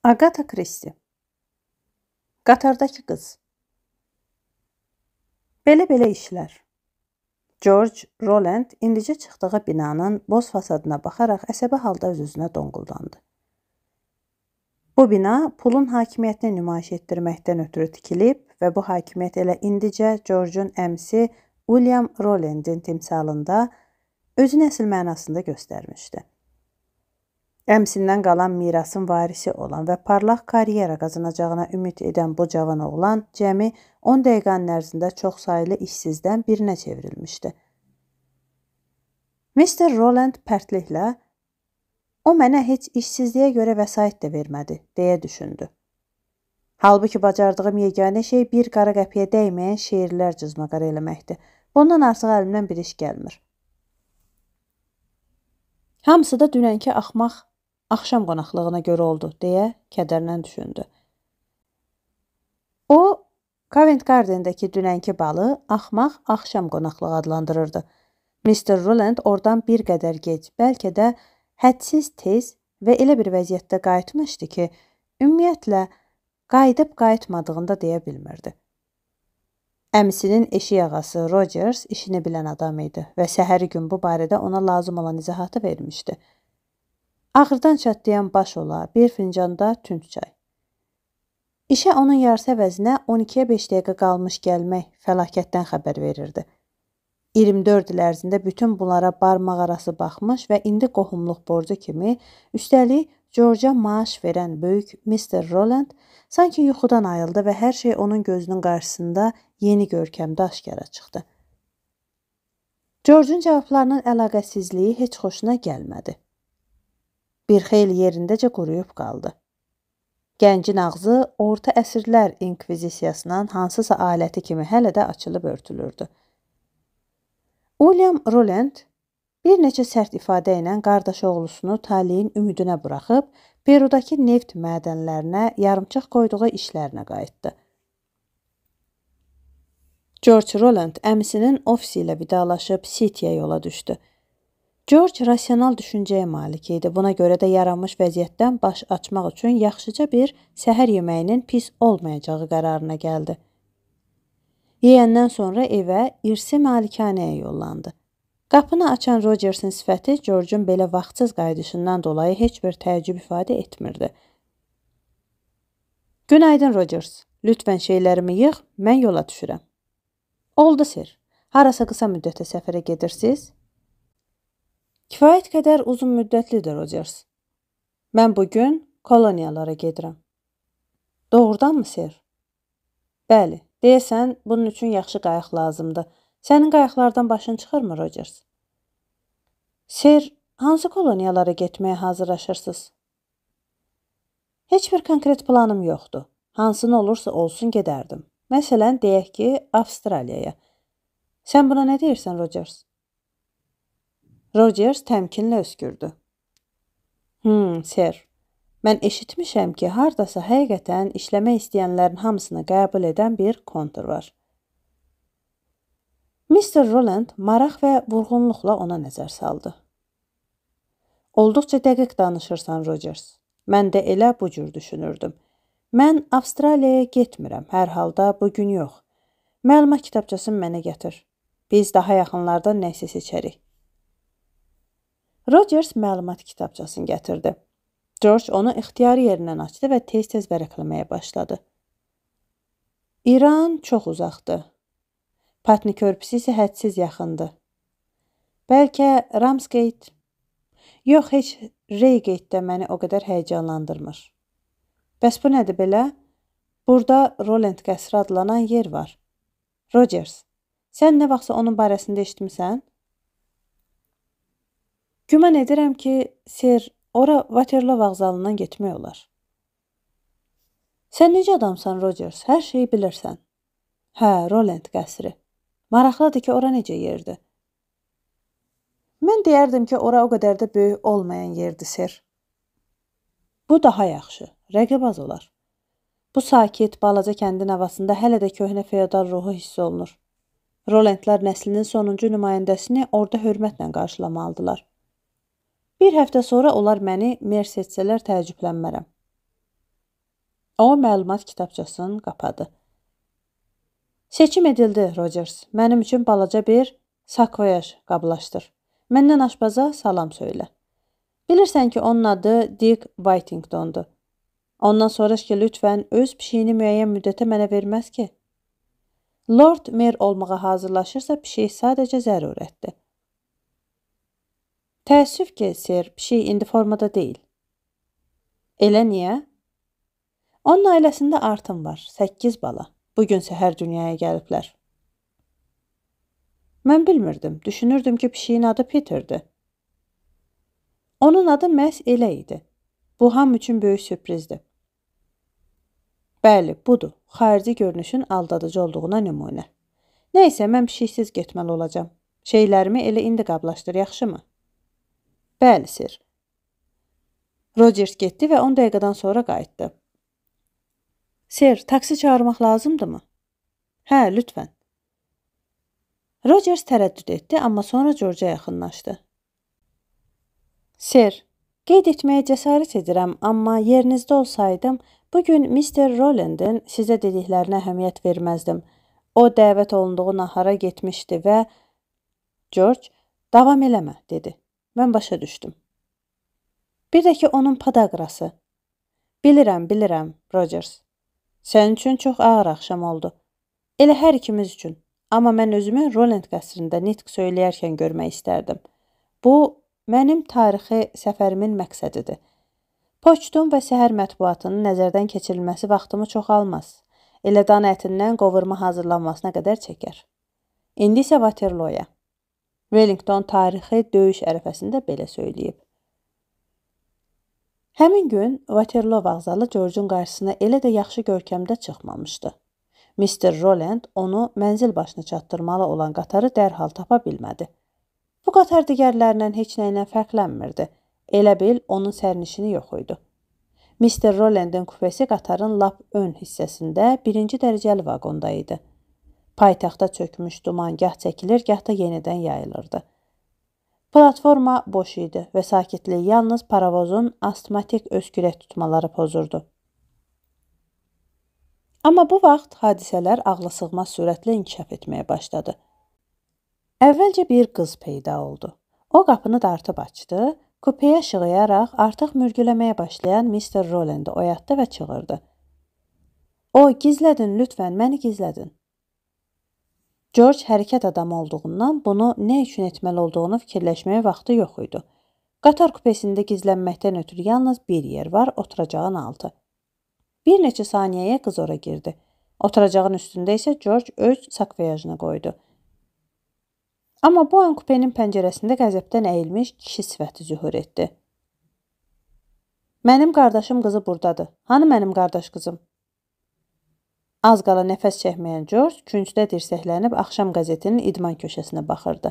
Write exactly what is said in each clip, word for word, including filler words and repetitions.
Agatha Christie. Qatardakı qız. Belə-belə işlər. George Roland indicə çıxdığı binanın boz fasadına baxaraq əsəbi halda öz-özünə donquldandı. Bu bina pulun hakimiyyətini nümayiş etdirməkdən ötürü tikilib və bu hakimiyyət elə indicə George'un əmsi William Roland'in timsalında özünü əsl mənasında göstərmişdi. Əmsindən qalan mirasın varisi olan və parlaq karyera qazanacağına ümid edən bu cavan oğlan cəmi on dəqiqənin ərzində çoxsaylı işsizdən birinə çevrilmişdi. mister Roland pərtliklə, o mənə heç işsizliyə görə vəsait də vermədi, deyə düşündü. Halbuki bacardığım yeganə şey bir qara qəpiyə dəyməyən şeirlər cızmaqar eləməkdir. Bundan artıq əlimdən bir iş gəlmir. Hamısı da dünənki axmaq axşam qonaqlığına görə oldu, deyə kədərlə düşündü. O, Covent Garden'dəki dünənki balı axmaq axşam qonaqlığı adlandırırdı. mister Roland oradan bir qədər gec, bəlkə də hədsiz tez və elə bir vəziyyətdə qayıtmışdı ki, ümumiyyətlə, qayıdıb qayıtmadığını da deyə bilmirdi. Əmisinin eşik ağası Rogers işini bilən adam idi və səhəri gün bu barədə ona lazım olan izahatı vermişdi. Ağırdan çatlayan baş ola, bir fincanda tünd çay. İşə onun yarısı əvəzinə on ikiyə beş dəqiqə qalmış gəlmək fəlakətdən xəbər verirdi. iyirmi dörd il ərzində bütün bunlara barmaq arası baxmış və indi qohumluq borcu kimi, üstəlik George'a maaş verən böyük mister Roland sanki yuxudan ayıldı və hər şey onun gözünün qarşısında yeni görkəmdə aşkara çıxdı. George'un cavablarının əlaqəsizliyi heç xoşuna gəlmədi. Bir xeyli yerindəcə quruyub qaldı. Gəncin ağzı orta əsrlər inkvizisiyasının hansısa aləti kimi hələ də açılıb örtülürdü. William Roland bir neçə sərt ifadə ilə qardaş oğlusunu taleyin ümidinə buraxıb, Perudakı neft mədənlərinə yarımçıq qoyduğu işlərinə qayıtdı. George Roland əmisinin ofisi ilə vidalaşıb City'yə yola düşdü. George rasional düşüncəyə malik idi. Buna görə də yaranmış vəziyyətdən baş açmaq üçün yaxşıca bir səhər yeməyinin pis olmayacağı qərarına gəldi. Yeyəndən sonra evə, irsi malikanəyə yollandı. Qapını açan Rogers'ın sifəti George'un belə vaxtsız qayıdışından dolayı heç bir təəccüb ifadə etmirdi. Günaydın Rogers, lütfən şeylərimi yığ, mən yola düşürəm. Oldu sir, harasa qısa müddətə səfərə gedirsiniz? Kifayət qədər uzun müddətlidir Rogers. Mən bugün koloniyalara gedirəm. Doğrudanmı sir? Bəli, deyəsən bunun üçün yaxşı qayıq lazımdır. Sənin qayıqlardan başın çıxırmı Rogers? Sir, hansı koloniyalara getməyə hazırlaşırsınız? Heç bir konkret planım yoxdur. Hansını olursa olsun gedərdim. Məsələn, deyək ki, Avstraliyaya. Sən buna nə deyirsən Rogers? Rogers təmkinlə öskürdü. Hmm, sir, mən eşitmişəm ki, hardasa həqiqətən işləmək istəyənlərin hamısını qəbul edən bir kontor var. mister Roland maraq və vurğunluqla ona nəzər saldı. Olduqca dəqiq danışırsan Rogers. Mən də elə bu cür düşünürdüm. Mən Avstraliyaya getmirəm, hər halda bugün yox. Məlumat kitabçasını mənə gətir. Biz daha yaxınlarda nəsə seçərik. Rogers məlumat kitabçasını gətirdi. George onu ixtiyari yerindən açdı və tez-tez vərəqləməyə başladı. İran çox uzaqdır. Patni körpüsü isə hədsiz yaxındır. Bəlkə Ramsgate? Yox, heç Reygate də məni o qədər həyəcanlandırmır. Bəs bu nədir belə? Burada Roland qəsri adlanan yer var. Rogers, sən nə vaxtsa onun barəsində eşitmisən? Güman edirəm ki, sir, ora Waterloo vağzalından getmək olar. Sən necə adamsan Rogers? Hər şeyi bilirsən. Hə, Roland qəsri. Maraqlıdır ki, ora necə yerdir? Mən deyərdim ki, ora o qədər də böyük olmayan yerdir, sir. Bu daha yaxşı, rəqib az olar. Bu sakit, balaca kəndin havasında hələ də köhnə feodal ruhu hiss olunur. Rolandlar nəslinin sonuncu nümayəndəsini orada hörmətlə qarşılamalıdılar. Bir həftə sonra onlar məni mer seçsələr təəccüblənmərəm. O məlumat kitabçasını qapadı. Seçim edildi, Rogers. Mənim üçün balaca bir sakvoyaj qablaşdır. Məndən aşpaza salam söylə. Bilirsən ki, onun adı Dick Whittingtondur. Ondan soruş ki, lütfən öz pişiyini müəyyən müddətə mənə verməz ki. Lord Mayor olmağa hazırlaşırsa, pişik sadəcə zərurətdir. Təəssüf ki, Sir, pişik indi formada deyil. Elə niyə? Onun ailəsində artım var, səkkiz bala. Bugün səhər dünyaya gəliblər. Mən bilmirdim, düşünürdüm ki, pişiyin adı Peter'dir. Onun adı məhz elə idi. Bu ham üçün böyük sürprizdir. Bəli, budur. Xarici görünüşün aldadıcı olduğuna nümunə. Nəysə, mən pişiksiz getməli olacağam. Şeylərimi elə indi qablaşdır, yaxşımı? Bəli, Sir. Rogers getdi və on dəqiqədən sonra qayıtdı. Sir, taksi çağırmaq lazımdırmı? Hə, lütfən. Rogers tərəddüd etdi, amma sonra George'a yaxınlaşdı. Sir, qeyd etməyə cəsarət edirəm, amma yerinizdə olsaydım, bugün mister Rowland'ın sizə dediklərinə əhəmiyyət verməzdim. O, dəvət olunduğu nahara getmişdi və George, davam eləmə, dedi. Mən başa düşdüm. Bir də ki, onun padaqrası. Bilirəm, bilirəm, Rogers. Sənin üçün çox ağır axşam oldu. Elə hər ikimiz üçün. Amma mən özümü Rowland qəsrində nitq söyləyərkən görmək istərdim. Bu, mənim tarixi səfərimin məqsədidir. Poçtun və səhər mətbuatının nəzərdən keçirilməsi vaxtımı çox almaz. Elə dan ətindən qovurma hazırlanmasına qədər çəkər. İndi isə Waterloo'ya. Wellington tarixi döyüş ərəfəsində belə söyləyib. Həmin gün Waterloo vağzalı George'un qarşısına elə də yaxşı görkəmdə çıxmamışdı. mister Rowland onu mənzil başına çatdırmalı olan qatarı dərhal tapa bilmədi. Bu qatar digərlərindən heç nə ilə fərqlənmirdi. Elə bil onun sərnişini yox idi. mister Rowland'ın kupesi qatarın lap ön hissəsində birinci dərəcəli vaqonda idi. Paytaxta çökmüş duman gah çəkilir, gah da yenidən yayılırdı. Platforma boş idi və sakitliyi yalnız paravozun astmatik öskürək tutmaları pozurdu. Amma bu vaxt hadisələr ağlasığmaz sürətlə inkişaf etməyə başladı. Əvvəlcə bir qız peyda oldu. O qapını dartıb açdı, kupeyə şığıyaraq artıq mürgüləməyə başlayan mister Rowland'ı oyatdı və çığırdı. O, gizlədin, lütfən, məni gizlədin. George hərəkət adamı olduğundan bunu nə üçün etməli olduğunu fikirləşməyə vaxtı yox idi. Qatar kupesində gizlənməkdən ötürü yalnız bir yer var, oturacağın altı. Bir neçə saniyəyə qız ora girdi. Oturacağın üstündə isə George öz sakvoyajını qoydu. Amma bu an kupenin pəncərəsində qəzəbdən əyilmiş kişi sifəti zühur etdi. Mənim qardaşım qızı buradadır. Hanı mənim qardaş qızım? Az qala nəfəs çəkməyən George küncdə dirsəklənib axşam qəzetinin idman köşəsinə baxırdı.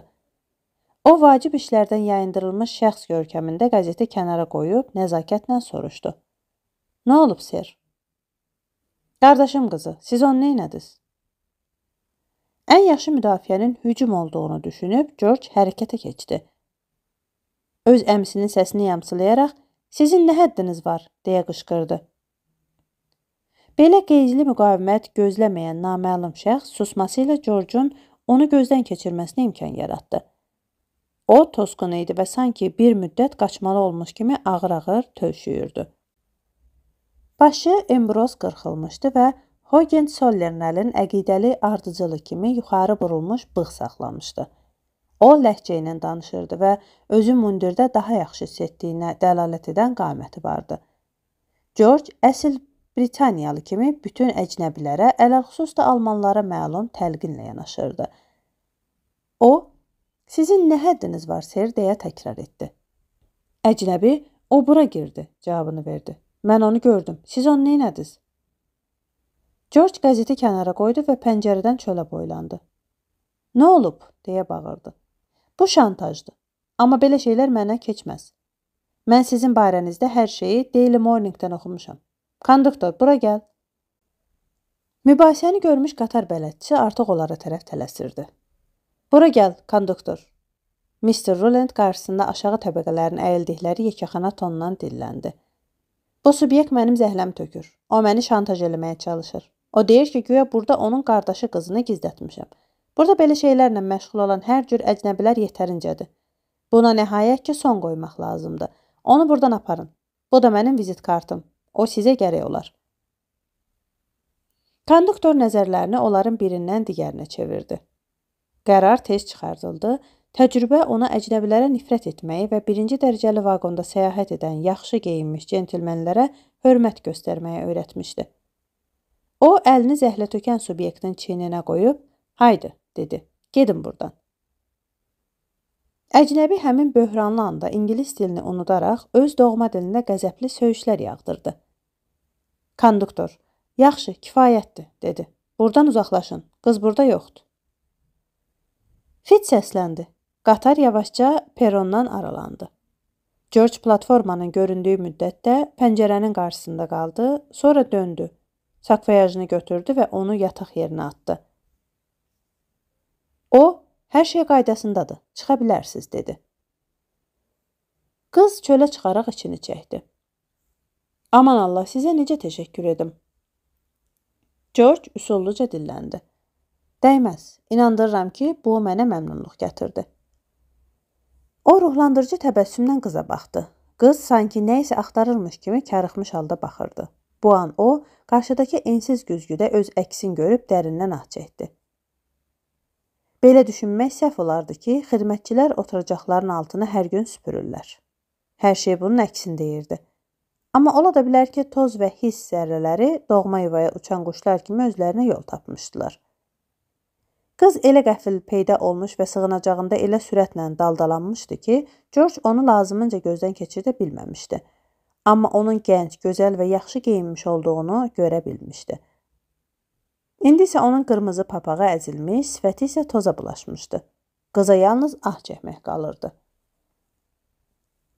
O, vacib işlərdən yayındırılmış şəxs görkəmində qəzeti kənara qoyub nəzakətlə soruşdu. Nə olub, Sir? Qardaşım qızı, siz onu neynədiniz? Ən yaxşı müdafiənin hücum olduğunu düşünüb George hərəkətə keçdi. Öz əmsinin səsini yamsılayaraq, sizin nə həddiniz var, deyə qışqırdı. Belə qeyzli müqavimət gözləməyən naməlum şəxs susması ilə George'un onu gözdən keçirməsinə imkan yaratdı. O, tosqun idi və sanki bir müddət qaçmalı olmuş kimi ağır-ağır tövşüyürdü. Başı embroz qırxılmışdı və Hohenzollernəlin əqidəli ardıcılı kimi yuxarı burulmuş bığ saxlamışdı. O, ləhcə ilə danışırdı və özü mundirdə daha yaxşı hiss etdiyinə dəlalət edən qaməti vardı. George əsl Britaniyalı kimi bütün əcnəbilərə, ələlxüsus da almanlara məlum təlqinlə yanaşırdı. O, sizin nə həddiniz var, Sir, deyə təkrar etdi. Əcnəbi, o bura girdi, cavabını verdi. Mən onu gördüm. Siz onu neynədiniz? George qəzeti kənara qoydu və pəncərədən çölə boylandı. Nə olub, deyə bağırdı. Bu şantajdır. Amma belə şeylər mənə keçməz. Mən sizin barənizdə hər şeyi Daily Morning'dən oxumuşam. Konduktor, bura gəl. Mübahisəni görmüş qatar bələdçisi artıq onlara tərəf tələsirdi. Bura gəl, konduktor. mister Rowland qarşısında aşağı təbəqələrin əyildikləri yekəxana tonundan dilləndi. Bu subyekt mənim zəhləm tökür. O məni şantaj eləməyə çalışır. O deyir ki, güya burada onun qardaşı qızını gizlətmişəm. Burada belə şeylərlə məşğul olan hər cür əcnəbilər yetərincədir. Buna nəhayət ki, son qoymaq lazımdır. Onu buradan aparın. Bu da mənim vizit kartım. O sizə gərək olar. Konduktor nəzərlərini onların birindən digərinə çevirdi. Qərar tez çıxardıldı. Təcrübə ona əcnəbilərə nifrət etməyi və birinci dərəcəli vaqonda səyahət edən yaxşı geyinmiş centilmenlərə hörmət göstərməyə öyrətmişdi. O, əlini zəhlə tökən subyektin çiyninə qoyub, haydi, dedi, gedin buradan. Əcnəbi həmin böhranlı anda ingilis dilini unudaraq öz doğma dilində qəzəbli söyüşlər yağdırdı. Konduktor, yaxşı, kifayətdir, dedi. Buradan uzaqlaşın, qız burada yoxdur. Fit səsləndi. Qatar yavaşca perondan aralandı. George platformanın göründüyü müddətdə pəncərənin qarşısında qaldı, sonra döndü. Sakvayajını götürdü və onu yataq yerinə atdı. O, hər şey qaydasındadır, çıxa bilərsiz, dedi. Qız çölə çıxaraq içini çəkdi. Aman Allah, sizə necə təşəkkür edim? George üsulluca dilləndi. Dəyməz, inandırıram ki, bu mənə məmnunluq gətirdi. O, ruhlandırıcı təbəssümlə qıza baxdı. Qız sanki nə isə axtarırmış kimi karıxmış halda baxırdı. Bu an o, qarşıdakı ensiz güzgüdə öz əksini görüb dərindən ah çəkdi. Belə düşünmək səhv olardı ki, xidmətçilər oturacaqların altını hər gün süpürürlər. Hər şey bunun əksini deyirdi. Amma ola da bilər ki, toz və hiss zərrələri doğma yuvaya uçan quşlar kimi özlərinə yol tapmışdılar. Qız elə qəfil peyda olmuş və sığınacağında elə sürətlə daldalanmışdı ki, George onu lazımınca gözdən keçirdə bilməmişdi. Amma onun gənc, gözəl və yaxşı geyinmiş olduğunu görə bilmişdi. İndi isə onun qırmızı papağı əzilmiş, sifəti isə toza bulaşmışdı. Qıza yalnız ah çəkmək qalırdı.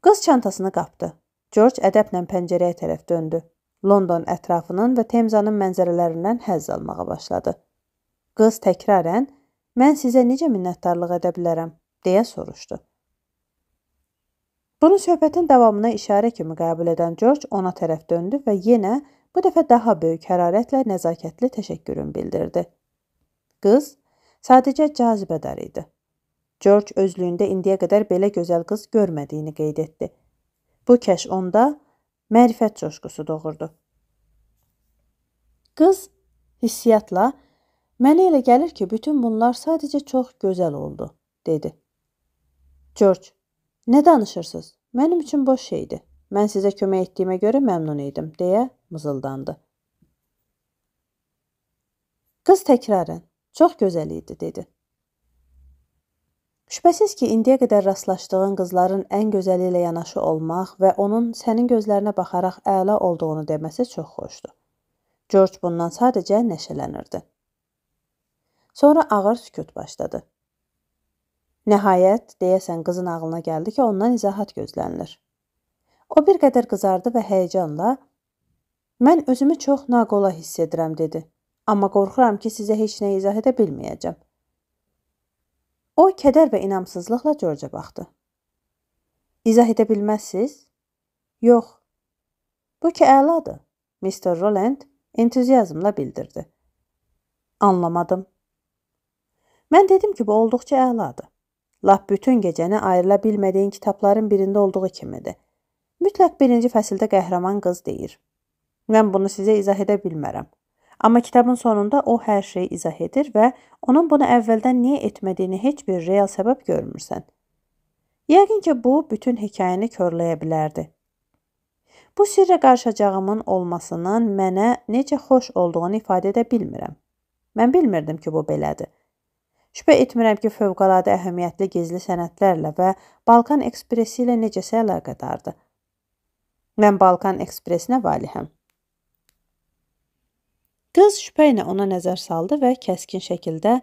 Qız çantasını qapdı. George ədəblə pəncərəyə tərəf döndü. London ətrafının və Temzanın mənzərələrindən həzz almağa başladı. Qız təkrarən, mən sizə necə minnətdarlıq edə bilərəm, deyə soruşdu. Bunu söhbətin davamına işarə kimi qəbul edən George ona tərəf döndü və yenə bu dəfə daha böyük hərarətlə nəzakətli təşəkkürün bildirdi. Qız sadəcə cazibədar idi. George özlüyündə indiyə qədər belə gözəl qız görmədiyini qeyd etdi. Bu kəşf onda mərifət coşqusu doğurdu. Qız hissiyatla, mənə elə gəlir ki, bütün bunlar sadəcə çox gözəl oldu, dedi. George, nə danışırsınız? Mənim üçün boş şeydir. Mən sizə kömək etdiyimə görə məmnun idim, deyə mızıldandı. Qız təkrarən, çox gözəl idi, dedi. Şübhəsiz ki, indiyə qədər rastlaşdığın qızların ən gözəli ilə yanaşı olmaq və onun sənin gözlərinə baxaraq əla olduğunu deməsi çox xoşdur. George bundan sadəcə nəşələnirdi. Sonra ağır sükut başladı. Nəhayət, deyəsən qızın ağlına gəldi ki, ondan izahat gözlənilir. O bir qədər qızardı və həyəcanla, mən özümü çox naqola hiss edirəm, dedi. Amma qorxuram ki, sizə heç nə izah edə bilməyəcəm. O, kədər və inamsızlıqla George'a baxdı. İzah edə bilməzsiz? Yox. Bu ki, əladır, mister Roland entuziyazmla bildirdi. Anlamadım. Mən dedim ki, bu olduqca əladır. Lap bütün gecəni ayrıla bilmədiyin kitabların birində olduğu kimidir. Mütləq birinci fəsildə qəhrəman qız deyir. Mən bunu sizə izah edə bilmərəm. Amma kitabın sonunda o hər şeyi izah edir və onun bunu əvvəldən niyə etmədiyini heç bir real səbəb görmürsən. Yəqin ki, bu bütün hekayəni körləyə bilərdi. Bu sirrə qarışacağımın olmasının mənə necə xoş olduğunu ifadə edə bilmirəm. Mən bilmirdim ki, bu belədir. Şübhə etmirəm ki, fövqəladə əhəmiyyətli gizli sənədlərlə və Balkan Ekspresi ilə necəsə əlaqədardır. Mən Balkan Ekspresinə valihəm. Qız şübhə ilə ona nəzər saldı və kəskin şəkildə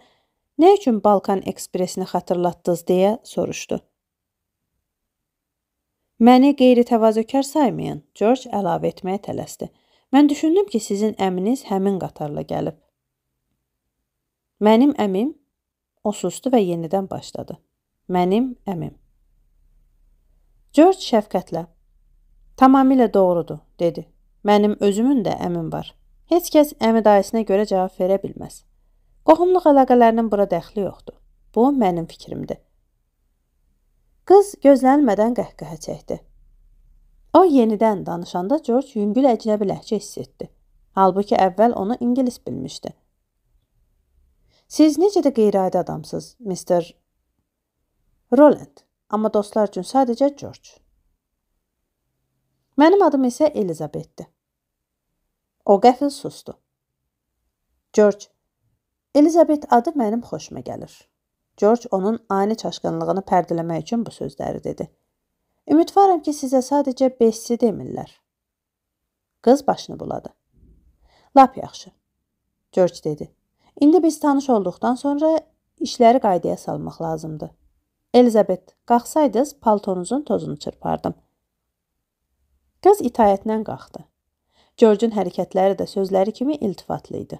nə üçün Balkan Ekspresini xatırlatdınız deyə soruşdu. Məni qeyri-təvazökar saymayın, George əlavə etməyə tələsdi. Mən düşündüm ki, sizin əminiz həmin qatarla gəlib. Mənim əmim? O sustu və yenidən başladı. Mənim əmim. George şəfqətlə. Tamamilə doğrudur, dedi. Mənim özümün də əmim var. Heç kəs əmi dayısına görə cavab verə bilməz. Qohumluq əlaqələrinin bura dəxli yoxdur. Bu mənim fikrimdir. Qız gözlənilmədən qəhqəhə çəkdi. O yenidən danışanda George yüngül əcnəbi ləhcə hiss etdi. Halbuki əvvəl onu ingilis bilmişdi. Siz necə də qeyri-adi adamsınız, mister Roland, amma dostlar üçün sadəcə George. Mənim adım isə Elizabethdir. O qəfil sustu. George, Elizabeth adı mənim xoşuma gəlir. George onun ani çaşqınlığını pərdələmək üçün bu sözləri dedi. Ümidvaram ki, sizə sadəcə Bessi demirlər. Qız başını buladı. Lap yaxşı, George dedi. İndi biz tanış olduqdan sonra işləri qaydaya salmaq lazımdır. Elizabeth, qalxsaydınız paltonuzun tozunu çırpardım. Qız itayətlə qalxdı. George'un hərəkətləri də sözləri kimi iltifatlı idi.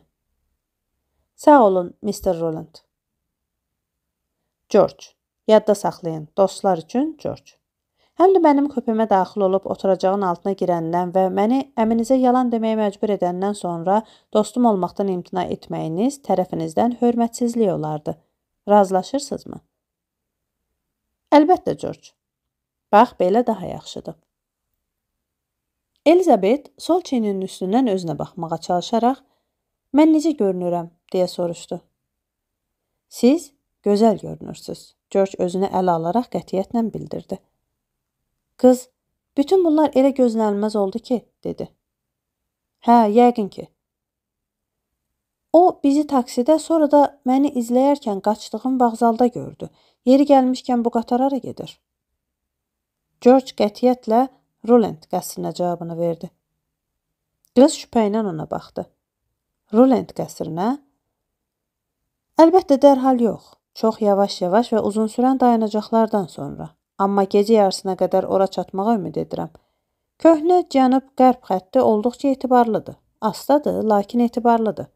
Sağ olun, mister Roland. George, yadda saxlayın, dostlar üçün George. Həm də mənim köpəmə daxil olub oturacağın altına girəndən və məni əminizə yalan deməyə məcbur edəndən sonra dostum olmaqdan imtina etməyiniz tərəfinizdən hörmətsizlik olardı. Razılaşırsınızmı? Əlbəttə, George. Bax, belə daha yaxşıdır. Elizabeth sol çiyninin üstündən özünə baxmağa çalışaraq, mən necə görünürəm, deyə soruşdu. Siz gözəl görünürsünüz, George özünü ələ alaraq qətiyyətlə bildirdi. Qız, bütün bunlar elə gözlənilməz oldu ki, dedi. Hə, yəqin ki. O, bizi taksidə, sonra da məni izləyərkən qaçdığım vağzalda gördü. Yeri gəlmişkən bu qatar hara gedir? George qətiyyətlə Roland qəsrinə cavabını verdi. Qız şübhə ilə ona baxdı. Roland qəsrinə? Əlbəttə, dərhal yox. Çox yavaş-yavaş və uzun sürən dayanacaqlardan sonra. Amma gecə yarısına qədər ora çatmağa ümid edirəm. Köhnə cənub-qərb xətti olduqca etibarlıdır. Astadır, lakin etibarlıdır.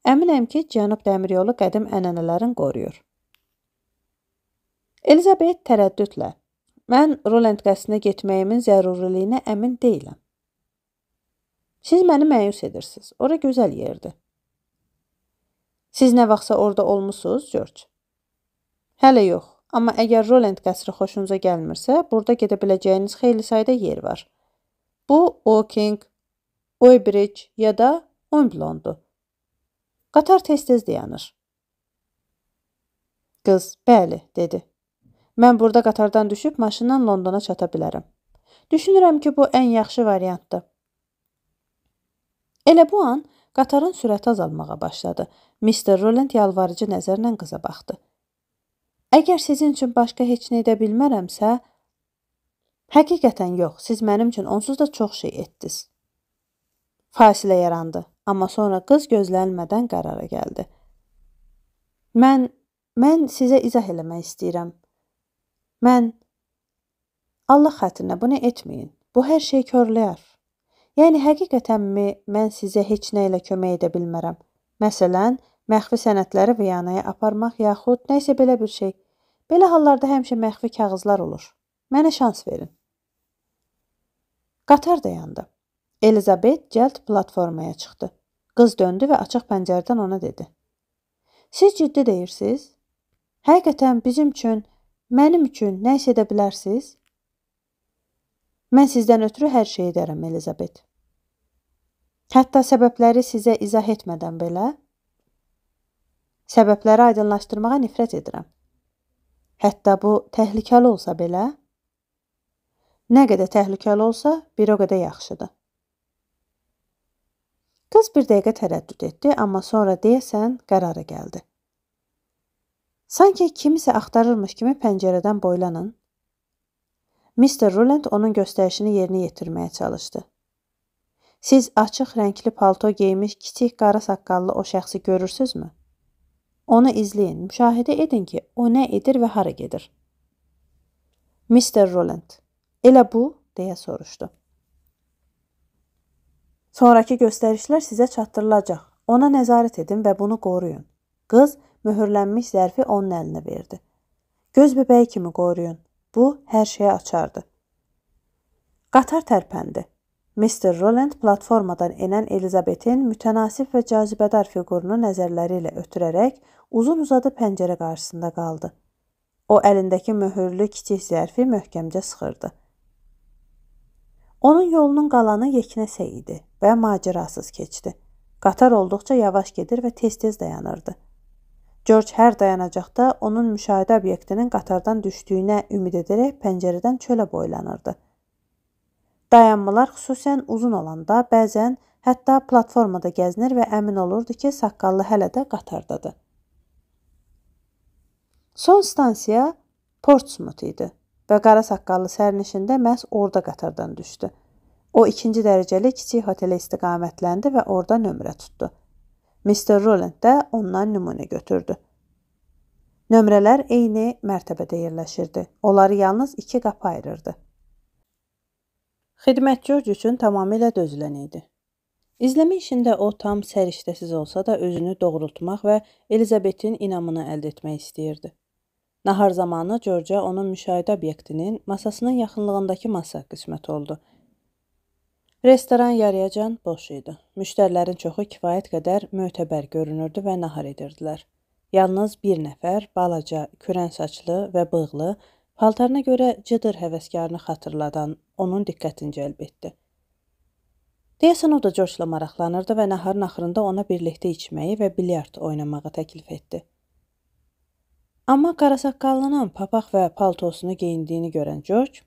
Əminəm ki, cənub dəmiryolu qədim ənənələrin qoruyur. Elizabeth tərəddüdlə, mən Roland qəsrinə getməyimin zəruriliyinə əmin deyiləm. Siz məni məyus edirsiniz. Ora gözəl yerdir. Siz nə vaxtsa orada olmusunuz, George? Hələ yox. Amma əgər Roland qəsri xoşunuza gəlmirsə, burada gedə biləcəyiniz xeyli sayda yer var. Bu, Woking, Weybridge ya da Wimbledondur. Qatar tez-tez dayanır. Qız, bəli, dedi. Mən burada qatardan düşüb maşınla Londona çata bilərəm. Düşünürəm ki, bu ən yaxşı variantdır. Elə bu an qatarın sürəti azalmağa başladı. mister Roland yalvarıcı nəzərlə qıza baxdı. Əgər sizin üçün başqa heç nə edə bilmərəmsə, həqiqətən yox, siz mənim üçün onsuz da çox şey etdiniz. Fasilə yarandı, amma sonra qız gözlənilmədən qərara gəldi. Mən, mən sizə izah eləmək istəyirəm. Mən, Allah xatirinə bunu etməyin, bu hər şey körləyər. Yəni, həqiqətənmi mən sizə heç nə ilə kömək edə bilmərəm. Məsələn, məxfi sənədləri Viyanaya aparmaq yaxud nəysə belə bir şey. Belə hallarda həmişə məxfi kağızlar olur. Mənə şans verin. Qatar dayandı. Elizabeth cəld platformaya çıxdı. Qız döndü və açıq pəncərədən ona dedi. Siz ciddi deyirsiniz? Həqiqətən bizim üçün, mənim üçün nə isə edə bilərsiniz? Mən sizdən ötürü hər şey edərəm, Elizabeth. Hətta səbəbləri sizə izah etmədən belə, səbəbləri aydınlaşdırmağa nifrət edirəm. Hətta bu təhlükəli olsa belə, nə qədər təhlükəli olsa, bir o qədər yaxşıdır. Qız bir dəqiqə tərəddüd etdi, amma sonra deyəsən qərara gəldi. Sanki kimisə axtarırmış kimi pəncərədən boylanın. mister Roland onun göstərişini yerinə yetirməyə çalışdı. Siz açıq rəngli palto geymiş kiçik qara saqqallı o şəxsi görürsünüzmü? Onu izləyin, müşahidə edin ki, o nə edir və hara gedir. mister Roland, elə bu, deyə soruşdu. Sonraki göstərişlər sizə çatdırılacaq. Ona nəzarət edin və bunu qoruyun. Qız möhürlənmiş zərfi onun əlinə verdi. Göz bəbəyi kimi qoruyun. Bu, hər şeyə açardı. Qatar tərpəndi. mister Roland platformadan enən Elizabetin mütənasib və cazibədar fiqurunu nəzərləri ilə ötürərək uzun-uzadı pəncərə qarşısında qaldı. O, əlindəki möhürlü kiçik zərfi möhkəmcə sıxırdı. Onun yolunun qalanı yeknəsə idi və macərasız keçdi. Qatar olduqca yavaş gedir və tez-tez dayanırdı. George hər dayanacaqda onun müşahidə obyektinin qatardan düşdüyünə ümid edərək pəncərədən çölə boylanırdı. Dayanmalar xüsusən uzun olanda bəzən hətta platformada gəzinir və əmin olurdu ki, saqqallı hələ də qatardadır. Son stansiya Portsmouth idi və qara saqqallı sərnişin də məhz orada qatardan düşdü. O, ikinci dərəcəli kiçik hotelə istiqamətləndi və orada nömrə tutdu. mister Roland də ondan nümunə götürdü. Nömrələr eyni mərtəbədə yerləşirdi. Onları yalnız iki qapı ayırırdı. Xidmət George üçün tamamilə dözülən idi. İzləmə işində o tam səriştəsiz olsa da özünü doğrultmaq və Elizabetin inamını əldə etmək istəyirdi. Nahar zamanı George'a onun müşahidə obyektinin masasının yaxınlığındakı masa qismət oldu. Restoran yarıyacan boş idi. Müştərilərin çoxu kifayət qədər mötəbər görünürdü və nahar edirdilər. Yalnız bir nəfər, balaca, kürən saçlı və bığlı, paltarına görə cıdır həvəskarını xatırladan onun diqqətini cəlb etdi. Deyəsən o da George-la maraqlanırdı və naharın axırında ona birlikdə içməyi və bilyard oynamağı təklif etdi. Amma qarasaqqallının papaq və paltosunu geyindiyini görən George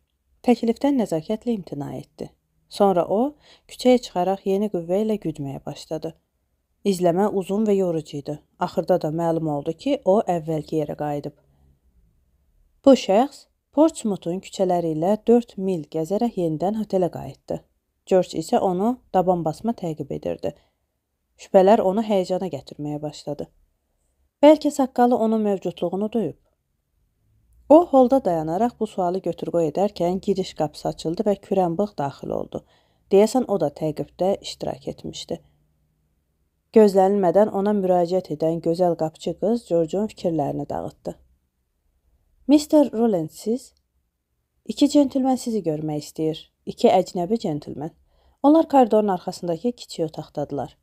təklifdən nəzakətlə imtina etdi. Sonra o, küçəyə çıxaraq yeni qüvvə ilə güdməyə başladı. İzləmə uzun və yorucu idi. Axırda da məlum oldu ki, o əvvəlki yerə qayıdıb. Bu şəxs Portsmouthun küçələri ilə dörd mil gəzərək yenidən hotelə qayıtdı. George isə onu daban basma təqib edirdi. Şübhələr onu həyəcana gətirməyə başladı. Bəlkə saqqalı onun mövcudluğunu duyub. O, holda dayanaraq bu sualı götür-qoy edərkən giriş qapısı açıldı və kürənbığ daxil oldu. Deyəsən o da təqibdə iştirak etmişdi. Gözlənilmədən ona müraciət edən gözəl qapıcı qız George'un fikirlərini dağıtdı. mister Roland, siz? İki centilmen sizi görmək istəyir. İki əcnəbi centilmen. Onlar koridorun arxasındakı kiçik otaqdadılar.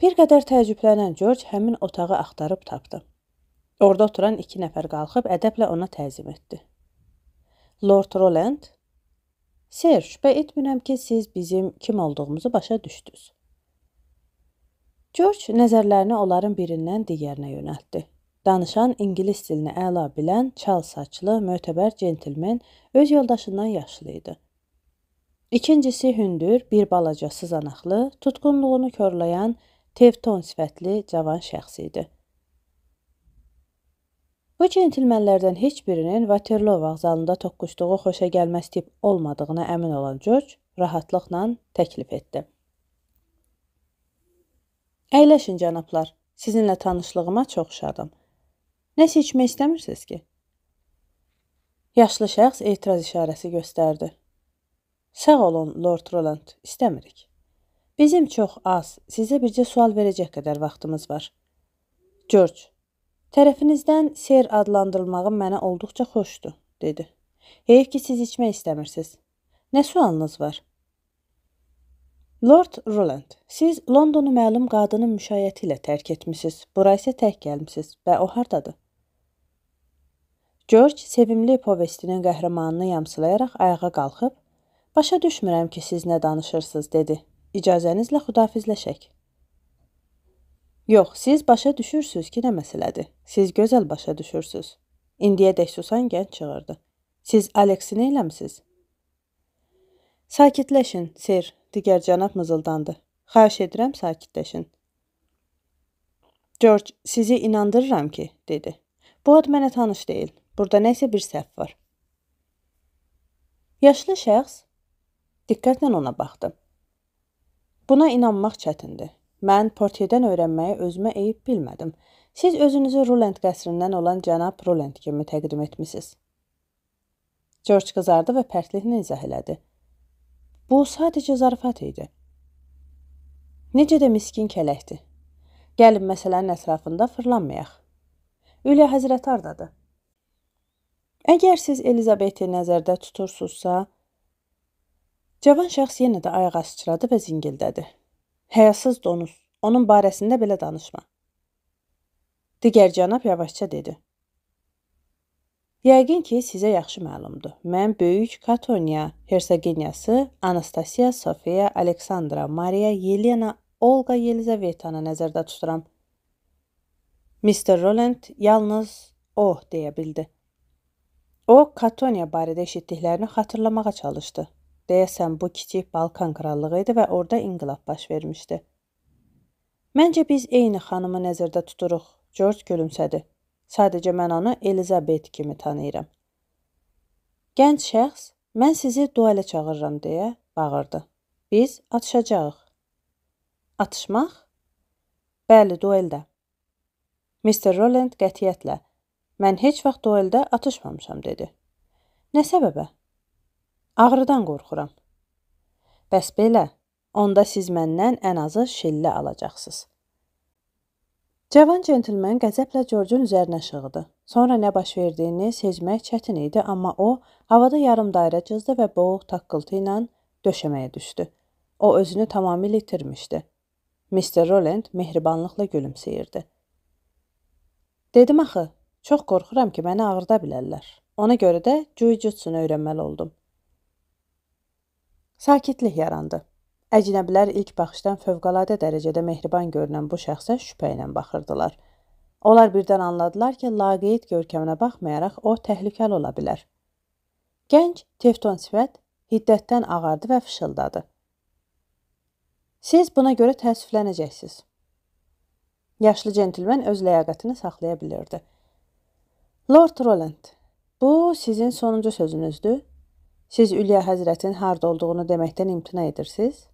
Bir qədər təəccüblənən George həmin otağı axtarıb tapdı. Orada oturan iki nəfər qalxıb ədəblə ona təzim etdi. Lord Roland, Sir, şübhə etmirəm ki, siz bizim kim olduğumuzu başa düşdünüz. George nəzərlərini onların birindən digərinə yönəltdi. Danışan ingilis dilini əla bilən, çal saçlı, mötəbər centilmen öz yoldaşından yaşlı idi. İkincisi hündür, bir balaca sızanaqlı, tutqunluğunu körlayan, tevton sifətli cavan şəxs idi. Bu centilmenlərdən heç birinin Waterloo vağzalında toqquşduğu xoşa gəlməz tip olmadığına əmin olan George rahatlıqla təklif etdi. Əyləşin cənablar, sizinlə tanışlığıma çox şadam. Nəsə içmək istəmirsiniz ki? Yaşlı şəxs etiraz işarəsi göstərdi. Sağ olun, Lord Roland, istəmirik. Bizim çox az, sizə bircə sual verəcək qədər vaxtımız var. George, tərəfinizdən Sir adlandırılmağım mənə olduqca xoşdur, dedi. Heyf ki, siz içmək istəmirsiniz. Nə sualınız var? Lord Roland, siz Londonu məlum qadının müşayiəti ilə tərk etmişsiniz. Bura isə tək gəlmişsiniz və o hardadır? George sevimli povestinin qəhrəmanını yamsılayaraq ayağa qalxıb, başa düşmürəm ki, siz nə danışırsınız, dedi. İcazənizlə xudafizləşək. Yox, siz başa düşürsünüz ki, nə məsələdir. Siz gözəl başa düşürsünüz. İndiyədək susan gənc çığırdı. Siz Alexi neyləmsiz? Sakitləşin, Sir, digər cənab mızıldandı. Xahiş edirəm, sakitləşin. George, sizi inandırıram ki, dedi. Bu ad mənə tanış deyil. Burada nəsə bir səhv var. Yaşlı şəxs diqqətlə ona baxdı. Buna inanmaq çətindir. Mən Portierdən öyrənməyi özümə eyib bilmədim. Siz özünüzü Roland qəsrindən olan cənab Roland kimi təqdim etmişsiniz. George qızardı və pərtliklə izah elədi. Bu sadəcə zarafat idi. Necə də miskin kələkdir. Gəlin məsələnin ətrafında fırlanmayaq. Üliya həzrət hardadır? Əgər siz Elizabeti nəzərdə tutursunuzsa, Cavan şəxs yenə də ayağa sıçradı və zingildədi. Həyasız donuz, onun barəsində belə danışma. Digər cənab yavaşca dedi. Yəqin ki, sizə yaxşı məlumdur. Mən böyük Katoniya Hersoginyası Anastasiya Sofiya Aleksandra Mariya Yelena Olqa Yelizavetanı nəzərdə tuturam. mister Roland yalnız oh deyə bildi. O, Katoniya barədə eşitdiklərini xatırlamağa çalışdı. Deyəsən, bu kiçik Balkan krallığı idi və orada inqilab baş vermişdi. Məncə biz eyni xanımı nəzərdə tuturuq, George gülümsədi. Sadəcə mən onu Elizabeth kimi tanıyıram. Gənc şəxs, mən sizi duelə çağırıram deyə bağırdı. Biz atışacağıq. Atışmaq? Bəli, dueldə. mister Roland qətiyyətlə, mən heç vaxt dueldə atışmamışam dedi. Nə səbəbə? Ağrıdan qorxuram. Bəs belə, onda siz məndən ən azı şillə alacaqsınız. Cavan centilmen qəzəblə George'un üzərinə şığıdı. Sonra nə baş verdiyini sezmək çətin idi, amma o, havada yarım dairə cızdı və boğuq taqqıltı ilə döşəməyə düşdü. O özünü tamamilə itirmişdi. mister Roland mehribanlıqla gülümsəyirdi. Dedim axı, çox qorxuram ki, məni ağrıda bilərlər. Ona görə də jiu-jitsunu öyrənməli oldum. Sakitlik yarandı. Əcnəbilər ilk baxışdan fövqəladə dərəcədə mehriban görünən bu şəxsə şübhə ilə baxırdılar. Onlar birdən anladılar ki, laqeyd görkəminə baxmayaraq o təhlükəli ola bilər. Gənc, tefton sifət hiddətdən ağardı və fışıldadı. Siz buna görə təəssüflənəcəksiniz. Yaşlı centilmen öz ləyaqətini saxlaya bilirdi. Lord Roland, bu sizin sonuncu sözünüzdür. Siz Ülya Həzrətin harda olduğunu deməkdən imtina edirsiniz?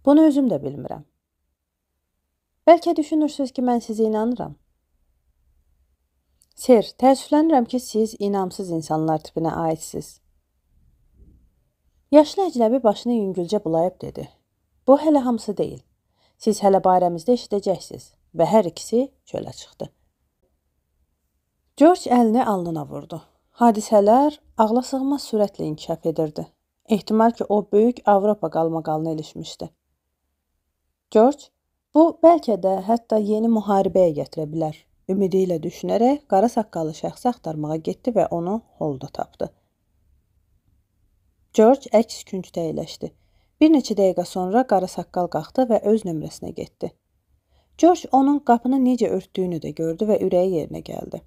Bunu özüm də bilmirəm. Bəlkə düşünürsünüz ki, mən sizə inanıram. Sir, təəssüflənirəm ki, siz inamsız insanlar tipinə aidsiniz. Yaşlı əcnəbi başını yüngülcə bulayıb dedi. Bu hələ hamısı deyil. Siz hələ barəmizdə eşidəcəksiniz və hər ikisi çölə çıxdı. George əlini alnına vurdu. Hadisələr ağlasığmaz sürətlə inkişaf edirdi. Ehtimal ki, o böyük Avropa qalmaqalına ilişmişdi. George, bu bəlkə də hətta yeni müharibəyə gətirə bilər. Ümidi ilə düşünərək qara saqqalı şəxsi axtarmağa getdi və onu holda tapdı. George əks küncdə əyləşdi. Bir neçə dəqiqə sonra qara saqqal qalxdı və öz nömrəsinə getdi. George onun qapını necə örtdüyünü də gördü və ürəyi yerinə gəldi.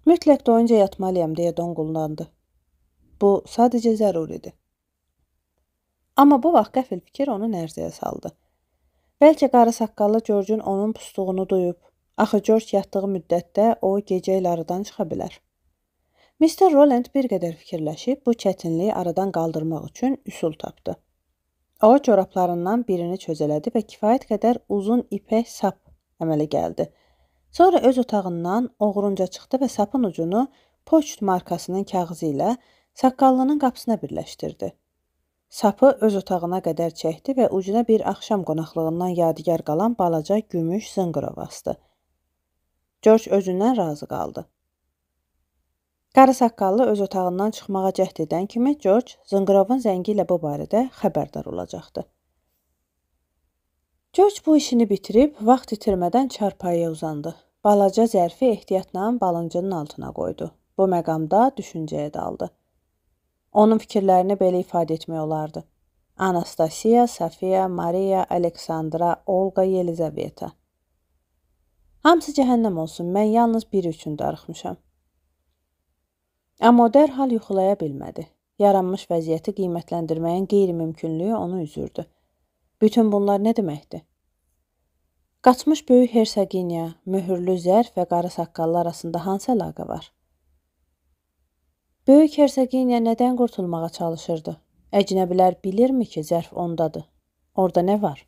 Mütləq doyunca yatmalıyam deyə donqullandı. Bu sadəcə zəruridir. Amma bu vaxt qəfil fikir onu nərzəyə saldı. Bəlkə qara saqqallı George'un onun pustuğunu duyub. Axı George yatdığı müddətdə o gecə ilə aradan çıxa bilər. mister Roland bir qədər fikirləşib bu çətinliyi aradan qaldırmaq üçün üsul tapdı. O, corablarından birini çözələdi və kifayət qədər uzun ipək sap əmələ gəldi. Sonra öz otağından oğrunca çıxdı və sapın ucunu poçt markasının kağızı ilə saqqallının qapısına birləşdirdi. Sapı öz otağına qədər çəkdi və ucuna bir axşam qonaqlığından yadigar qalan balaca gümüş zınqırov asdı. George özündən razı qaldı. Qara saqqallı öz otağından çıxmağa cəhd edən kimi George zınqırovun zəngi ilə bu barədə xəbərdar olacaqdı. George bu işini bitirib vaxt itirmədən çarpayıya uzandı. Balaca zərfi ehtiyatla balıncının altına qoydu. Bu məqamda düşüncəyə daldı. Onun fikirlərini belə ifadə etmək olardı. Anastasiya, Sofiya, Mariya, Aleksandra, Olqa, Yelizaveta. Hamısı cəhənnəm olsun, mən yalnız biri üçün darıxmışam. Amma o dərhal yuxulaya bilmədi. Yaranmış vəziyyəti qiymətləndirməyin qeyri-mümkünlüyü onu üzürdü. Bütün bunlar nə deməkdir? Qaçmış böyük Hersoginya, möhürlü zərf və qara saqqallı arasında hansı əlaqə var? Böyük Hersoginya nədən qurtulmağa çalışırdı? Əcnəbilər bilirmi ki, zərf ondadır? Orada nə var?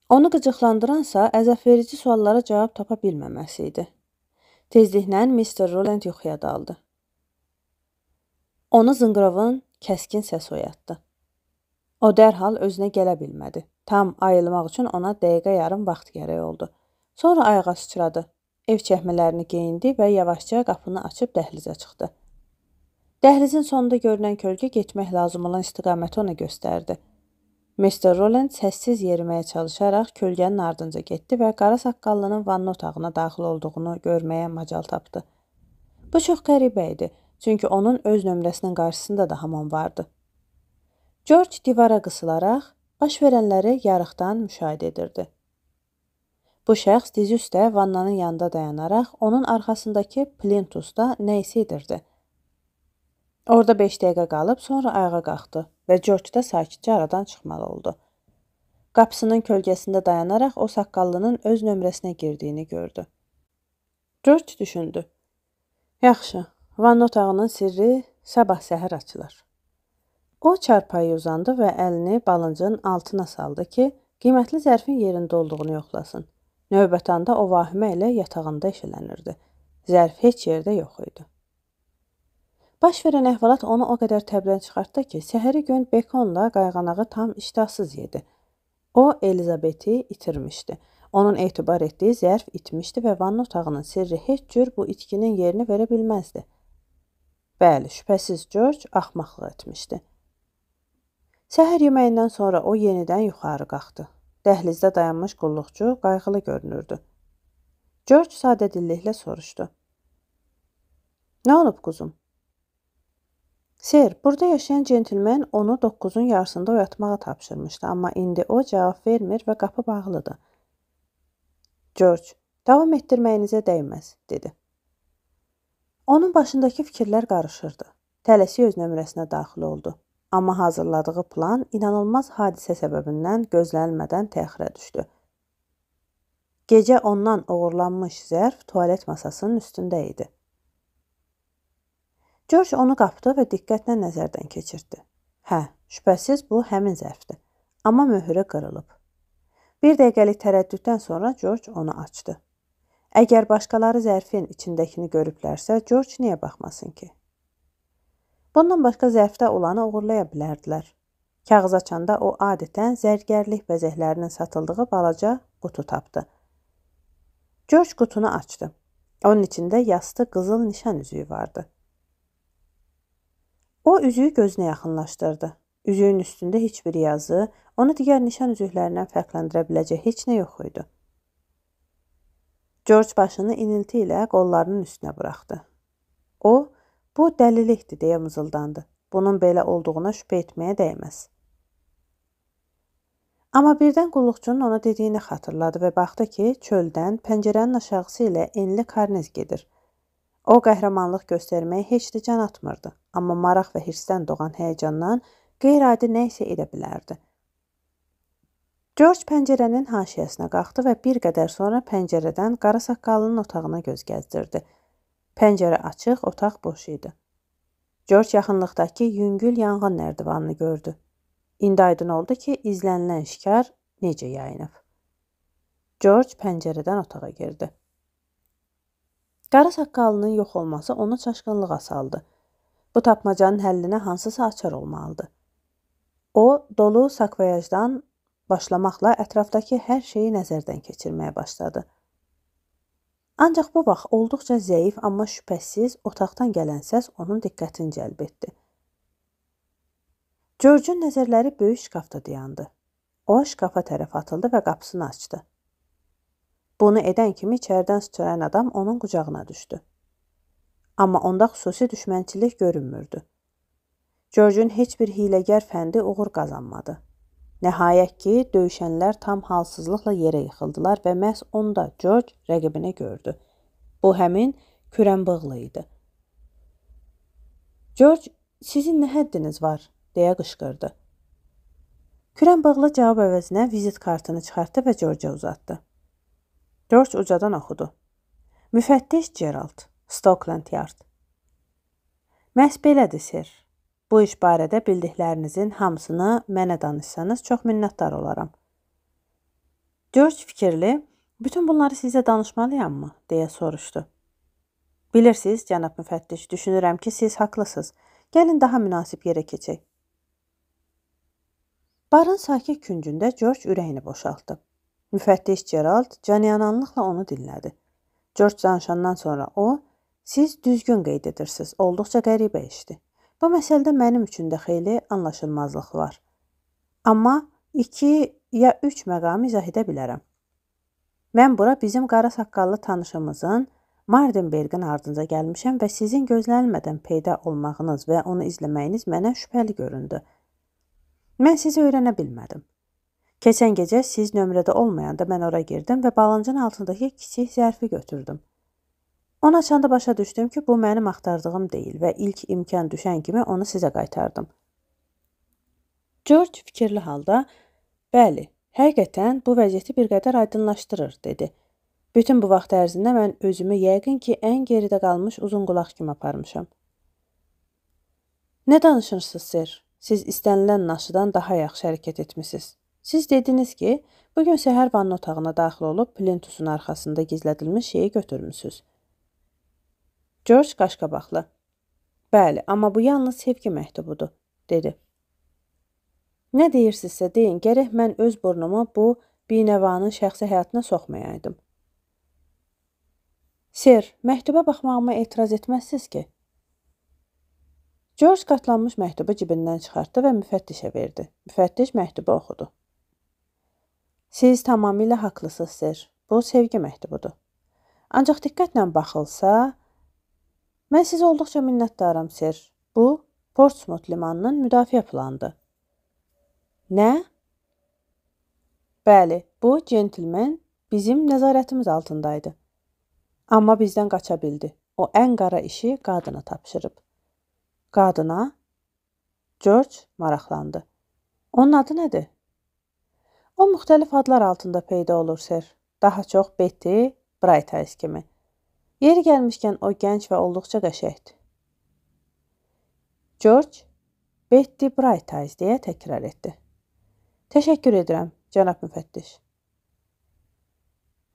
Onu qıcıqlandıransa əzabverici suallara cavab tapa bilməməsi idi. Tezliklə mister Roland yuxuya daldı. Onu zınqırovun kəskin səs oyatdı. O dərhal özünə gələ bilmədi. Tam ayılmaq üçün ona dəqiqə yarım vaxt gərək oldu. Sonra ayağa sıçradı. Ev çəkmələrini geyindi və yavaşca qapını açıb dəhlizə çıxdı. Dəhlizin sonunda görünən kölgə getmək lazım olan istiqaməti ona göstərdi. mister Roland səssiz yeriməyə çalışaraq kölgənin ardınca getdi və qara saqqallının vanna otağına daxil olduğunu görməyə macal tapdı. Bu çox qəribə idi, çünki onun öz nömrəsinin qarşısında da hamam vardı. George divara qısılaraq baş verənləri yarıqdan müşahidə edirdi. Bu şəxs dizi üstə vannanın yanında dayanaraq onun arxasındakı plintusda nə isə edirdi. Orada beş dəqiqə qalıb sonra ayağa qalxdı və George da sakitcə aradan çıxmalı oldu. Qapısının kölgəsində dayanaraq o saqqallının öz nömrəsinə girdiyini gördü. George düşündü. Yaxşı, vanna otağının sirri sabah səhər açılır. O çarpayıya uzandı və əlini balıncın altına saldı ki, qiymətli zərfin yerində olduğunu yoxlasın. Növbət anda o vahimə ilə yatağında eşələnirdi. Zərf heç yerdə yox idi. Baş verən əhvalat onu o qədər təbdən çıxartdı ki, səhəri gün Bekonla qayğanağı tam iştahsız yedi. O, Elizabeti itirmişdi. Onun etibar etdiyi zərf itmişdi və vanna otağının sirri heç cür bu itkinin yerini verə bilməzdi. Bəli, şübhəsiz George axmaqlıq etmişdi. Səhər yeməyindən sonra o yenidən yuxarı qalxdı. Dəhlizdə dayanmış qulluqçu qayğılı görünürdü. George sadədilliklə soruşdu. Nə olub quzum? Ser, burada yaşayan centilmen onu doqquzun yarısında oyatmağa tapşırmışdı, amma indi o cavab vermir və qapı bağlıdır. George, davam etdirməyinizə dəymez, dedi. Onun başındakı fikirlər qarışırdı. Tələsi öz nömrəsinə daxil oldu. Amma hazırladığı plan inanılmaz hadisə səbəbindən gözlənilmədən təxirə düşdü. Gecə ondan oğurlanmış zərf tualet masasının üstündə idi. George onu qapdı və diqqətlə nəzərdən keçirdi. Hə, şübhəsiz bu həmin zərfdir. Amma möhürü qırılıb. Bir dəqiqəlik tərəddüddən sonra George onu açdı. Əgər başqaları zərfin içindəkini görüblərsə, George niyə baxmasın ki? Bundan başqa zərfdə olanı uğurlaya bilərdilər. Kağız açanda o adətən zərgərlik bəzəklərinin satıldığı balaca qutu tapdı. George qutunu açdı. Onun içində yastı qızıl nişan üzüyü vardı. O üzüyü gözünə yaxınlaşdırdı. Üzüyün üstündə heç bir yazı, onu digər nişan üzüklərindən fərqləndirə biləcək heç nə yox idi. George başını inilti ilə qollarının üstünə buraxdı. O, bu dəlilikdir deyə mızıldandı. Bunun belə olduğuna şübhə etməyə dəyməz. Amma birdən qulluqçunun ona dediyini xatırladı və baxdı ki, çöldən pəncərənin aşağısı ilə enli karniz gedir. O, qəhrəmanlıq göstərməyə heç də can atmırdı, amma maraq və hirsdən doğan həyəcandan qeyri-adi nə isə edə bilərdi. George pəncərənin haşiyəsinə qalxdı və bir qədər sonra pəncərədən qara saqqalının otağına göz gəzdirdi. Pəncərə açıq, otaq boş idi. George yaxınlıqdakı yüngül yanğın nərdivanını gördü. İndi aydın oldu ki, izlənilən şikar necə yayınıb. George pəncərədən otağa girdi. Qara saqqalının yox olması onu çaşqınlığa saldı. Bu tapmacanın həllinə hansısa açar olmalıdır. O, dolu sakvayajdan başlamaqla ətrafdakı hər şeyi nəzərdən keçirməyə başladı. Ancaq bu vaxt olduqca zəif, amma şübhəsiz otaqdan gələn səs onun diqqətini cəlb etdi. George'un nəzərləri böyük şkafda dayandı. O, şkafa tərəf atıldı və qapısını açdı. Bunu edən kimi içərdən sıçrayan adam onun qucağına düşdü. Amma onda xüsusi düşmənçilik görünmürdü. George'un heç bir hiləgər fəndi uğur qazanmadı. Nəhayət ki, döyüşənlər tam halsızlıqla yerə yıxıldılar və məhz onda George rəqibini gördü. Bu həmin kürənbığlı idi. George, sizin nə həddiniz var, deyə qışqırdı. Kürənbığlı cavab əvəzinə vizit kartını çıxartdı və George'a uzatdı. George ucadan oxudu. Müfəttiş Gerald, Stockland Yard. Məhz belədir, sir. Bu iş barədə bildiklərinizin hamısını mənə danışsanız çox minnətdar olaram. George fikirli, bütün bunları sizə danışmalıyam mı, deyə soruşdu. Bilirsiniz, cənab müfəttiş, düşünürəm ki, siz haqlısınız. Gəlin daha münasib yerə keçək. Barın sakit küncündə George ürəyini boşaltdı. Müfəttiş Gerald canyananlıqla onu dinlədi. George danışandan sonra o, siz düzgün qeyd edirsiniz, olduqca qəribə işdir. Bu məsələdə mənim üçün də xeyli anlaşılmazlıq var. Amma iki ya üç məqamı izah edə bilərəm. Mən bura bizim qara saqqallı tanışımızın Mardenbergin ardınca gəlmişəm və sizin gözlənilmədən peyda olmağınız və onu izləməyiniz mənə şübhəli göründü. Mən sizi öyrənə bilmədim. Keçən gecə siz nömrədə olmayanda mən ora girdim və balancın altındakı kiçik zərfi götürdüm. Onu açanda başa düşdüm ki, bu mənim axtardığım deyil və ilk imkan düşən kimi onu sizə qaytardım. George fikirli halda, bəli, həqiqətən bu vəziyyəti bir qədər aydınlaşdırır, dedi. Bütün bu vaxt ərzində mən özümü yəqin ki, ən geridə qalmış uzun qulaq kimi aparmışam. Nə danışırsınız, sir? Siz istənilən naşıdan daha yaxşı hərəkət etmişsiniz. Siz dediniz ki, bugün səhər vanna otağına daxil olub plintusun arxasında gizlədilmiş şeyi götürmüsünüz. George qaşqabaqlı. Bəli, amma bu yalnız sevgi məktubudur, dedi. Nə deyirsinizsə deyin, gərək mən öz burnumu bu binəvanın şəxsi həyatına soxmayaydım. Sir, məktuba baxmağıma etiraz etməzsiniz ki? George qatlanmış məktubu cibindən çıxartdı və müfəttişə verdi. Müfəttiş məktubu oxudu. Siz tamamilə haqlısınız, sir. Bu sevgi məktubudur. Ancaq diqqətlə baxılsa, mən sizə olduqca minnətdaram, sir. Bu, Portsmouth limanının müdafiə planıdır. Nə? Bəli, bu centlmen bizim nəzarətimiz altındaydı. Amma bizdən qaça bildi. O ən qara işi qadına tapşırıb. Qadına? George maraqlandı. Onun adı nədir? O müxtəlif adlar altında peyda olur, sir. Daha çox Betty Brightice kimi. Yeri gəlmişkən o gənc və olduqca qəşəkdir. George, Betty Brightice deyə təkrar etdi. Təşəkkür edirəm, cənab müfəttiş.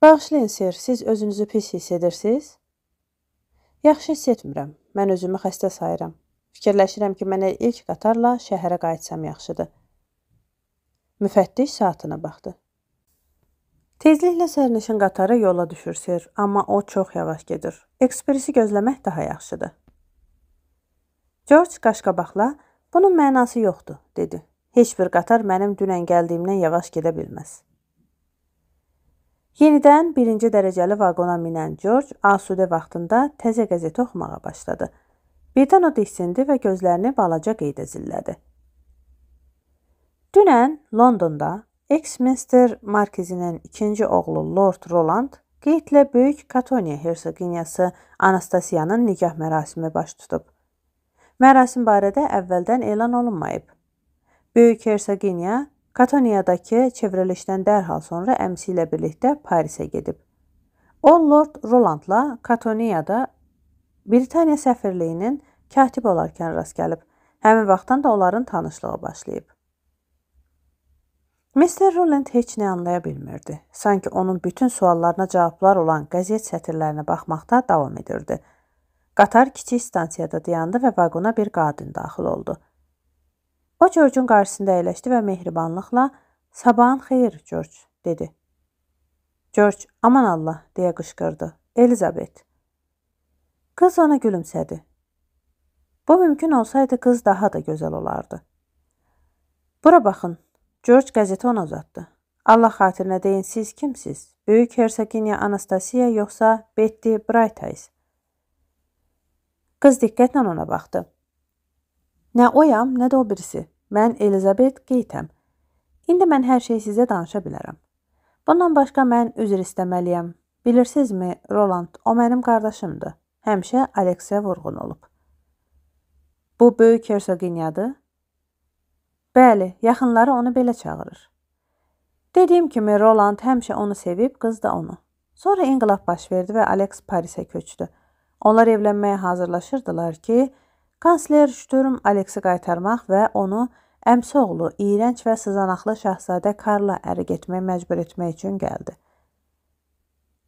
Bağışlayın, sir, siz özünüzü pis hiss edirsiniz? Yaxşı hiss etmirəm. Mən özümü xəstə sayıram. Fikirləşirəm ki, mənə ilk qatarla şəhərə qayıtsam yaxşıdır. Müfəttiş saatına baxdı. Tezliklə sərnişin qatarı yola düşür, sir, amma o çox yavaş gedir. Ekspresi gözləmək daha yaxşıdır. George qaşqabaqla, bunun mənası yoxdur, dedi. Heç bir qatar mənim dünən gəldiyimdən yavaş gedə bilməz. Yenidən birinci dərəcəli vaqona minən George asudə vaxtında təzə qəzeti oxumağa başladı. Birdən o diksindi və gözlərini balaca qeydə zillədi. Dünən Londonda Exminster Markizinin ikinci oğlu Lord Roland qeydlə böyük Katoniya hersoginyası Anastasiyanın nikah mərasimi baş tutub. Mərasim barədə əvvəldən elan olunmayıb. Böyük hersoginya Katoniyadakı çevrilişdən dərhal sonra əmsi ilə birlikdə Parisə gedib. O, Lord Rolandla Katoniyada Britaniya səfirliyinin katib olarkən rast gəlib. Həmin vaxtdan da onların tanışlığı başlayıb. mister Roland heç nə anlaya bilmirdi. Sanki onun bütün suallarına cavablar olan qəzet sətirlərinə baxmaqda davam edirdi. Qatar kiçik stansiyada dayandı və vaqona bir qadın daxil oldu. O, George'un qarşısında əyləşdi və mehribanlıqla "Sabahın xeyir, George," dedi. George, "Aman Allah," deyə qışqırdı. "Elizabeth." Qız ona gülümsədi. Bu mümkün olsaydı qız daha da gözəl olardı. Bura baxın. George qəzeti ona uzatdı. Allah xatirinə deyin, siz kimsiz? Böyük hersoginya Anastasiya yoxsa Betty Brightice? Qız diqqətlə ona baxdı. Nə oyam, nə də o birisi. Mən Elizabeth Geytəm. İndi mən hər şeyi sizə danışa bilərəm. Bundan başqa mən üzr istəməliyəm. Bilirsinizmi, Roland, o mənim qardaşımdır. Həmişə Aleksə vurğun olub. Bu böyük hersoginyadır? Bəli, yaxınları onu belə çağırır. Dediyim kimi, Roland həmişə onu sevib, qız da onu. Sonra inqilab baş verdi və Alex Parisə köçdü. Onlar evlənməyə hazırlaşırdılar ki, kansler Sturm Alexi qaytarmaq və onu əmsi oğlu, iyrənc və sızanaqlı şahzadə Karla əri getməyə məcbur etmək üçün gəldi.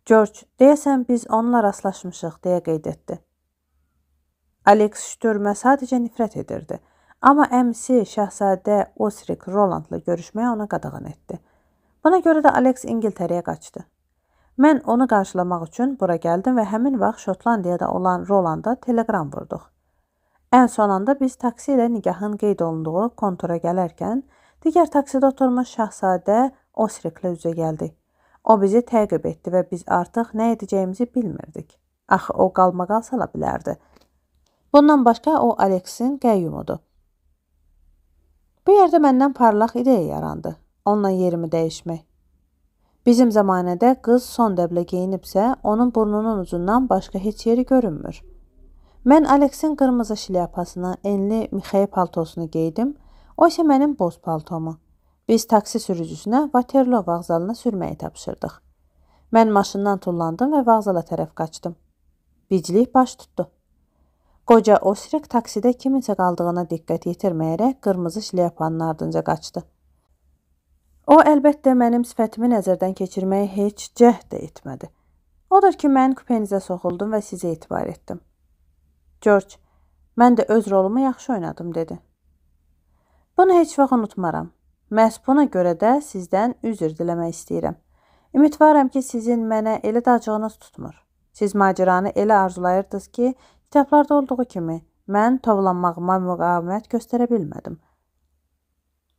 George, deyəsən biz onunla rastlaşmışıq, deyə qeyd etdi. Alex Sturmə sadəcə nifrət edirdi. Amma əmsi şahzadə Osric Rolandla görüşməyə ona qadağan etdi. Buna görə də Alex İngiltərəyə qaçdı. Mən onu qarşılamaq üçün bura gəldim və həmin vaxt Şotlandiyada olan Rolanda telegram vurduq. Ən son anda biz taksi ilə nigahın qeyd olunduğu kontora gələrkən, digər taksidə oturmuş şahzadə Osriqlə üzə gəldi. O bizi təqib etdi və biz artıq nə edəcəyimizi bilmirdik. Axı o qalmaqal sala bilərdi. Bundan başqa o Aleksin qəyyumudur. Bu yerdə məndən parlaq ideya yarandı. Onunla yerimi dəyişmək. Bizim zamanədə qız son dəblə geyinibsə, onun burnunun ucundan başqa heç yeri görünmür. Mən Aleksin qırmızı şlyapasını, enli Mixey paltosunu geydim, o isə mənim boz paltomu. Biz taksi sürücüsünə Waterloo vağzalına sürməyi tapşırdıq. Mən maşından tullandım və vağzala tərəf qaçdım. Biclik baş tutdu. Qoca Osriq taksidə kiminsə qaldığına diqqət yetirməyərək qırmızı şlyapanın ardınca qaçdı. O, əlbəttə, mənim sifətimi nəzərdən keçirməyi heç cəhd də etmədi. Odur ki, mən kupenizə soxuldum və sizə etibar etdim. George, mən də öz rolumu yaxşı oynadım, dedi. Bunu heç vaxt unutmaram. Məhz buna görə də sizdən üzr diləmək istəyirəm. Ümidvaram ki, sizin mənə elə dacığınız tutmur. Siz maceranı elə arzulayırdınız ki, kitablarda olduğu kimi, mən tovlanmağıma müqavimət göstərə bilmədim.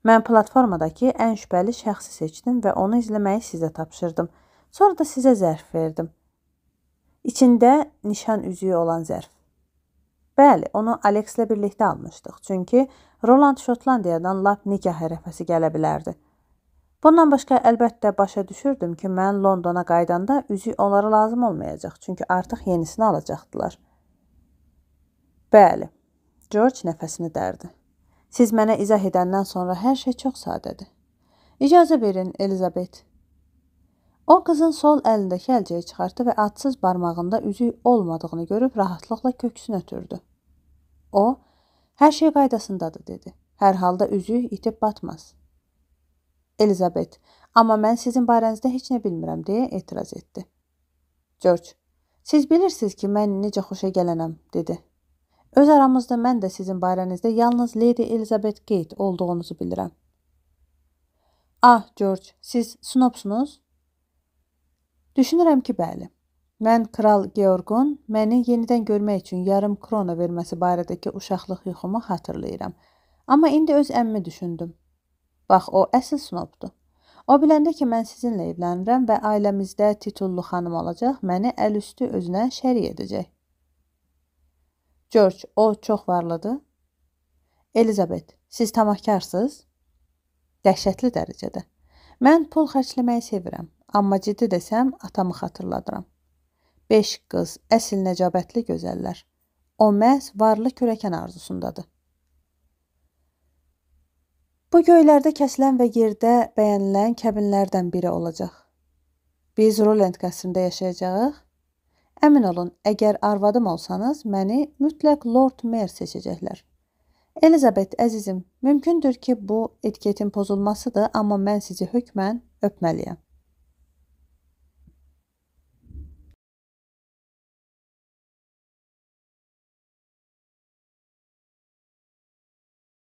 Mən platformadakı ən şübhəli şəxsi seçdim və onu izləməyi sizə tapşırdım. Sonra da sizə zərf verdim. İçində nişan üzüyü olan zərf. Bəli, onu Alekslə birlikdə almışdıq. Çünki Roland Şotlandiyadan lap nikah ərəfəsi gələ bilərdi. Bundan başqa əlbəttə başa düşürdüm ki, mən Londona qaydanda üzük onlara lazım olmayacaq. Çünki artıq yenisini alacaqdılar. Bəli, George nəfəsini dərdi. Siz mənə izah edəndən sonra hər şey çox sadədir. İcazə verin, Elizabeth. O, qızın sol əlindəki əlcəyi çıxartdı və adsız barmağında üzük olmadığını görüb rahatlıqla köksünü ötürdü. O, hər şey qaydasındadır, dedi. Hər halda üzük itib batmaz. Elizabeth, amma mən sizin barənizdə heç nə bilmirəm, deyə etiraz etdi. George, siz bilirsiniz ki, mən necə xoşa gələnəm, dedi. Öz aramızda mən də sizin barənizdə yalnız Lady Elizabeth Gate olduğunuzu bilirəm. Ah, George, siz snobsunuz? Düşünürəm ki, bəli. Mən Kral Georgun məni yenidən görmək üçün yarım krona verməsi barədəki uşaqlıq yuxumu xatırlayıram. Amma indi öz əmmimi düşündüm. Bax, o əsl snobdur. O biləndə ki, mən sizinlə evlənirəm və ailəmizdə titullu xanım olacaq, məni əl üstü özünə şərik edəcək. George, o çox varlıdır. Elizabeth, siz tamahkarsınız? Dəhşətli dərəcədə. Mən pul xərcləməyi sevirəm, amma ciddi desəm, atamı xatırladıram. Beş qız, əsl nəcabətli gözəllər. O məhz varlı kürəkən arzusundadır. Bu göylərdə kəsilən və yerdə bəyənilən kəbinlərdən biri olacaq. Biz Roland qəsrində yaşayacağıq. Əmin olun, əgər arvadım olsanız, məni mütləq Lord Mayor seçəcəklər. Elizabeth, əzizim, mümkündür ki, bu etiketin pozulmasıdır, amma mən sizi hökmən öpməliyəm.